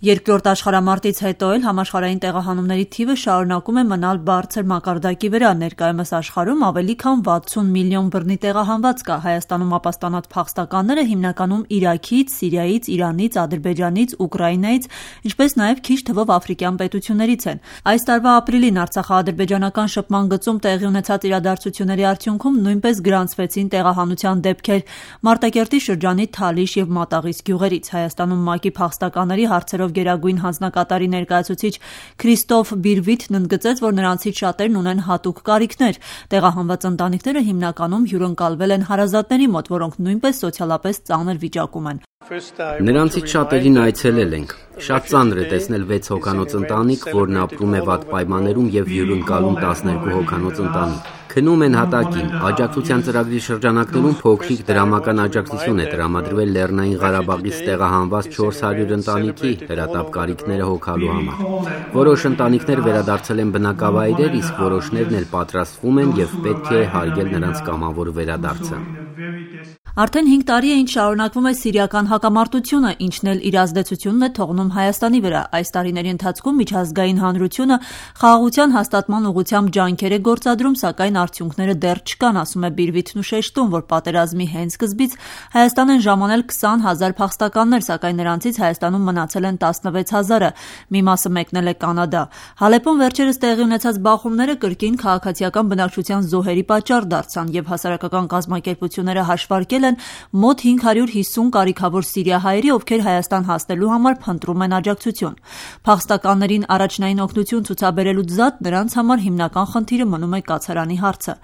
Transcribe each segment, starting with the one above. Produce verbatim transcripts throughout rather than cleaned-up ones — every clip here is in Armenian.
Երկրորդ աշխարհամարտից հետո էլ համաշխարհային տեղահանումների թիվը շարունակում է մնալ բարձր մակարդակի վրա։ Ներկայումս աշխարհում ավելի քան վաթսուն միլիոն բռնի տեղահանված կա։ Հայաստանում ապաստանած փախստականները հիմնականում Իրաքից, Սիրիայից, Իրանից, Ադրբեջանից, Ուկրաինայից, ինչպես նաև քիչ թվով աֆրիկյան պետություններից են։ Այս տարվա ապրիլին Արցախա-ադրբեջանական շփման գծում տեղի ունեցած իրադարձությունների արդյունքում նույնպես գրանցվեցին տեղահանության դեպքեր Մարտակերտի շրջանի Թալիշ և Մատաղիս գյուղերից։ Հայաստանում ՄԱԿ-ի փախստականների հարցերով գերագույն հանձնակատարի ներկայացուցիչ Քրիստոֆ Բիրվիթն ընդգծեց, որ նրանցից շատերն ունեն հատուկ կարիքներ։ Տեղահանված ընտանիքները հիմնականում հյուրընկալվել են հարազատների մոտ, որոնք նույնպես սոցիալապես ծանր վիճակում են։ Նրանցից շատերին այցելել ենք։ Շատ ծանր է տեսնել վեց հոգանոց ընտանիք, որն ապրում է վատ պայմաններում և հյուրընկալում տասներկու հոգանոց ընտանիք։ Քնում են հատակին։ Աջակցության ծրագրի շրջանակներում փոքրիկ դրամական աջակցություն է տրամադրվել Լեռնային Ղարաբաղից տեղահանված չորս հարյուր ընտանիքի հրատապ կարիքները հոգալու համար։ Որոշ ընտանիքներ վերադարձել են բնակավայրեր, իսկ որոշներն էլ պատրաստվում են և պետք է հարգել նրանց կամավոր վերադարձը։ Արդեն հինգ տարի է, ինչ շարունակվում է սիրիական հակամարտությունը, ինչն էլ իր ազդեցությունն է թողնում Հայաստանի վրա։ Այս տարիների ընթացքում միջազգային հանրությունը խաղաղության հաստատման ուղղությամբ ջանքեր է գործադրում, սակայն արդյունքները դեռ չկան, ասում է Բիրվիթն ու շեշտում, որ պատերազմի հենց սկզբից Հայաստան են ժամանել քսան հազար փախստականներ, սակայն նրանցից Հայաստանում մնացել են տասնվեց հազարը, մի մասը մեկնել է Կանադա։ Հալեպում վերջերս տեղի ունեցած բախումները կրկին քաղաքացիական բնակչության զոհերի պատճառ դարձան և հասարակական կազմակերպությունները հաշվարկել են մոտ հինգ հարյուր հիսուն կարիքավոր սիրիահայերի, ովքեր Հայաստան հասնելու համար փնտրում են աջակցություն։ Փախստականներին առաջնային օգնություն ցուցաբերելուց զատ նրանց համար հիմնական խնդիրը մնում է կացարանի հարցը։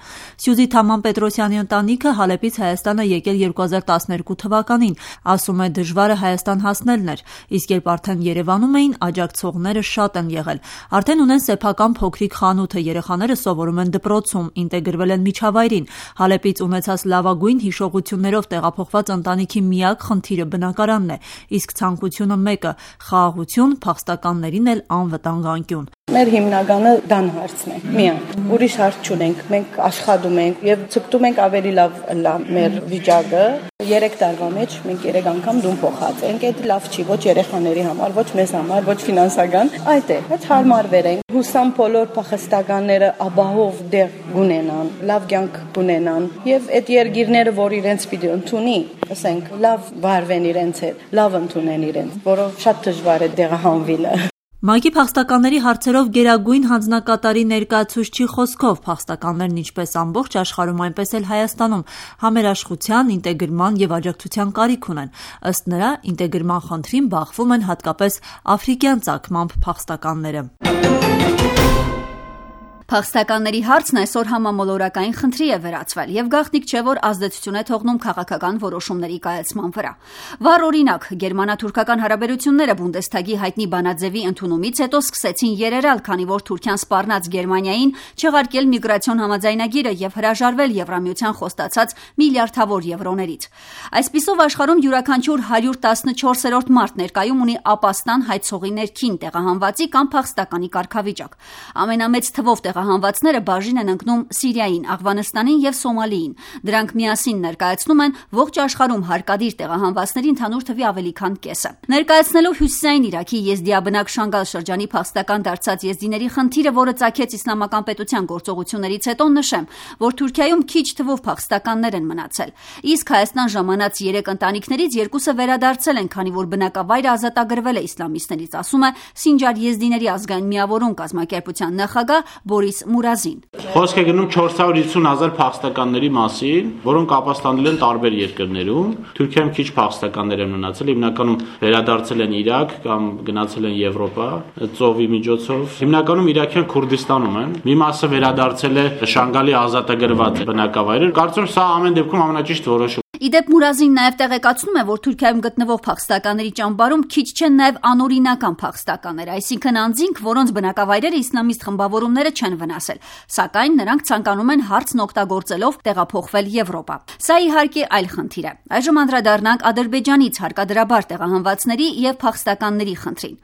Սյուզի Թաման Պետրոսյանի ընտանիքը Հալեպից Հայաստան է եկել երկու հազար տասներկու թվականին, ասում է դժվարը Հայաստան հասնելն էր, իսկ երբ արդեն Երևանում էին, աջակցողները շատ են եղել։ Արդեն ունեն սեփական փոքրիկ խանութը, երեխաները սովորում են դպրոցում, ինտեգրվել են միջավայրին։ Հալեպից ունեցած լավագույն հիշողություններով տեղափոխված ընտանիքի միակ խնդիրը բնակարանն է, իսկ ցանկությունը մեկը՝ խաղաղություն, փախստականներին էլ անվտանգ անկյուն։ Մեր հիմնականը դան հարցն է, միակ։ Ուրիշ հարց չունենք, մենք աշխատում ենք եւ ցկտում ենք ավելի լավ լա մեր վիճակը։ Երեք տարվա մեջ մենք երեք անգամ դուն փոխած ենք, այդ լավ չի ոչ երեխաների համար, ոչ մեզ համար, ոչ ֆինանսական, այդ է, բայց հարմարվեր ենք։ Հուսամ բոլոր փախստականները ապահով դեղ գունենան, լավ կյանք գունենան եւ այդ երգիրները, որ իրենց պիտի ընդունի, ասենք, լավ վարվեն իրենց հետ, լավ ընդունեն իրենց, որով շատ դժվար է տեղահանվելը։ ՄԱԿ-ի փախստականների հարցերով գերագույն հանձնակատարի ներկայացուցչի խոսքով փախստականներն ինչպես ամբողջ աշխարհում, այնպես էլ Հայաստանում համերաշխության, ինտեգրման եւ աջակցության կարիք ունեն։ Ըստ նրա, ինտեգրման խնդրին բախվում են հատկապես աֆրիկյան ծագմամբ փախստականները։ Փախստականների հարցն այսօր համամոլորակային խնդրի է վերածվել եւ գաղտնիք չէ, որ ազդեցություն է թողնում քաղաքական որոշումների կայացման վրա։ Վառ օրինակ, գերմանա-թուրքական հարաբերությունները Բունդեսթագի հայտնի բանաձևի ընդունումից հետո սկսեցին երերալ, քանի որ Թուրքիան սպառնաց Գերմանիային չեղարկել միգրացիոն համաձայնագիրը եւ հրաժարվել Եվրամիության խոստացած միլիարդավոր եվրոներից։ Այսպիսով աշխարհում յուրաքանչյուր հարյուր տասնչորսերորդ մարդ ներկայում ունի ապաստան հայցողի ներքին տեղահանվածի կամ փախստականի կարգավիճակ։ Ամենամեծ թվով Հանվածները բաժին են ընկնում Սիրիային, Աղվանստանին եւ Սոմալիին։ Դրանք միասին ներկայացնում են ողջ աշխարհում հարկադիր տեղահանվածների ընդհանուր թվի ավելի քան կեսը։ Ներկայացնելով հյուսիսային Իրաքի եզդիաբնակ Շանգալ շրջանի փախստական դարձած եզդիների խնդիրը, որը ծագեց իսլամական պետության գործողություններից հետո, նշեմ, որ Թուրքիայում քիչ թվով փախստականներ են մնացել։ Իսկ Հայաստան ժամանած երեք ընտանիքներից երկուսը վերադարձել են, քանի որ բնակավայրը ազատագրվել է իսլամիստներից, ասում է Սինջար եզդիների ազգային միավորում կազմակերպության նախագահ Բորիս Մուրազին։ Խոսք է գնում չորս հարյուր հիսուն հազար փախստականների մասին, որոնք ապաստանել են տարբեր երկրներում։ Թուրքիայում քիչ փախստականներ են մնացել, հիմնականում վերադարձել են Իրաք կամ գնացել են Եվրոպա ծովի միջոցով։ Հիմնականում իրաքյան Քուրդիստանում են։ Մի մասը վերադարձել է Շանգալի ազատագրված բնակավայրեր։ Կարծում եմ սա ամեն դեպքում ամենաճիշտ որոշումը։ Իդեպ Մուրազին նաև տեղեկացնում է, որ Թուրքիայում գտնվող փախստականների ճամբարում քիչ չեն նաև անօրինական փախստականներ, այսինքն անձինք, որոնց բնակավայրերը իսլամիստ խմբավորումները չեն վնասել, սակայն նրանք ցանկանում են հարցն օգտագործելով տեղափոխվել Եվրոպա։ Սա իհարկե այլ խնդիր է։ Այժմ անդրադառնանք Ադրբեջանից հարկադրաբար տեղահանվածների եւ փախստականների խնդրին։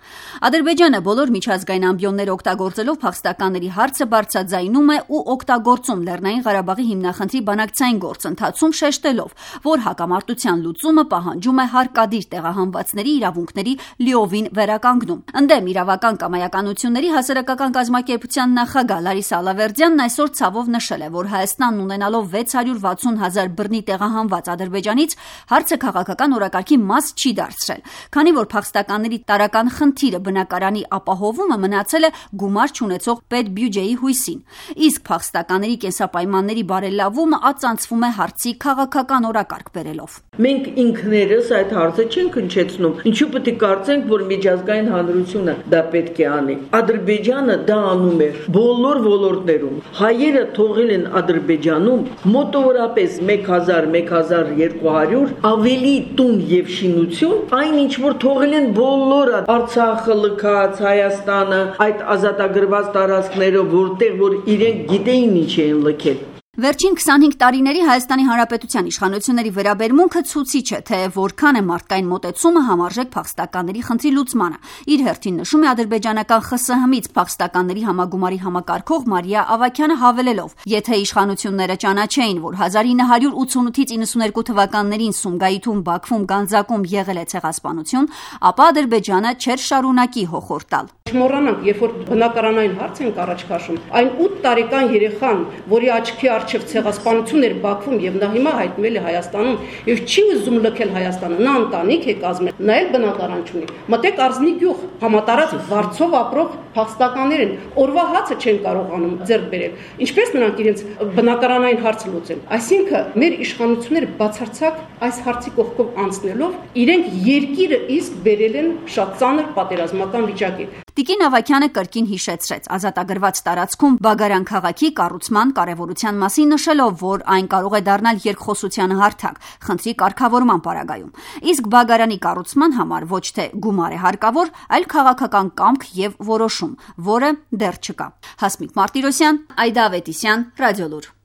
Ադրբեջանը բոլոր միջազգային ամբիոնները օգտագործելով փախստականների հարցը բարձրաձայնում է ու օգտագործում Լեռնային Ղարաբաղի հիմնախնդրի բանակցային գործընթացում, շեշտելով, որ հակամարտության լուծումը պահանջում է հարկադիր տեղահանվածների իրավունքների լիովին վերականգնում։ Ընդդեմ իրավական կամայականությունների հասարակական կազմակերպության նախագահ Լարիսա Ալավերդյանն այսօր ցավով նշել է, որ Հայաստանն ունենալով վեց հարյուր վաթսուն հազար բռնի տեղահանված Ադրբեջանից հարցը քաղաքական օրակարգի մաս չի դարձրել, քանի որ փախստականների տարրական խնդիրը բնակարանի ապահովումը մնացել է գումար չունեցող պետբյուջեի հույսին, իսկ փախստականների կենսապայմանների բարելավումը ածանցվում է հարցի քաղաքական օրակարգ բերելով։ Մենք ինքներս այդ հարցը չենք հնչեցնում, ինչու պետք է կարծենք, որ միջազգային հանրությունը դա պետք է անի։ Ադրբեջանը դա անում է բոլոր ոլորտներում։ Հայերը թողել են Ադրբեջանում մոտավորապես մեկ հազար մեկ հազար երկու հարյուր ավելի տուն եւ շինություն, այն ինչ որ թողել են բոլորը Արցախը, Լքած, Հայաստանը, այդ ազատագրված տարածքները, որտեղ որ իրենք գիտեին ինչ էին լքել։ Վերջին քսանհինգ տարիների Հայաստանի Հանրապետության իշխանությունների վերաբերմունքը ցույցիչ է, թե որքան է մարդկային մոտեցումը համարժեք փախստականների խնդրի լուծմանը։ Իր հերթին նշում է ադրբեջանական ԽՍՀՄ-ից փախստականների համագումարի համակարգող Մարիա Ավագյանը հավելելով. եթե իշխանությունները ճանաչեին, որ հազար ինը հարյուր ութսունութից իննսուներկու թվականներին Սումգայիթում, Բաքվում, Գանձակում եղել է ցեղասպանություն, ապա Ադրբեջանը չէր շարունակի հոխորտալ տալ։ Չմոռանանք, երբ որ բնակարանային հարց ենք առաջ քաշում, այն ութ տարեկան երեխան, որի աչքի առջև ցեղասպանություն էր Բաքվում եւ նա հիմա հայտնվել է Հայաստանում եւ չի ուզում լքել Հայաստանը, նա ընտանիք է կազմել, նա էլ բնակարան չունի։ Մտեք Արզնի գյուղ, համատարած վարձով ապրող փախստականներ են, օրվա հացը չեն կարողանում ձեռք բերել։ Ինչպես նրանք իրենց բնակարանային հարցը լուծեն։ Այսինքն մեր իշխանությունները բացարձակ այս հարցի կողքով անցնելով իրենք երկիրը իսկ բերել են շատ ծանր պատերազմական վիճակի։ Տիկին Ավագյանը կրկին հիշեցրեց ազատագրված տարածքում Բագարան քաղաքի կառուցման կարևորության մասին նշելով, որ այն կարող է դառնալ երկխոսության հարթակ խնդրի կարգավորման պարագայում։ Իսկ Բագարանի կառուցման համար ոչ թե գումար է հարկավոր, այլ քաղաքական կամք եւ որոշում, որը դեռ չկա։ Հասմիկ Մարտիրոսյան, Այդա Ավետիսյան, Ռադիոլուր։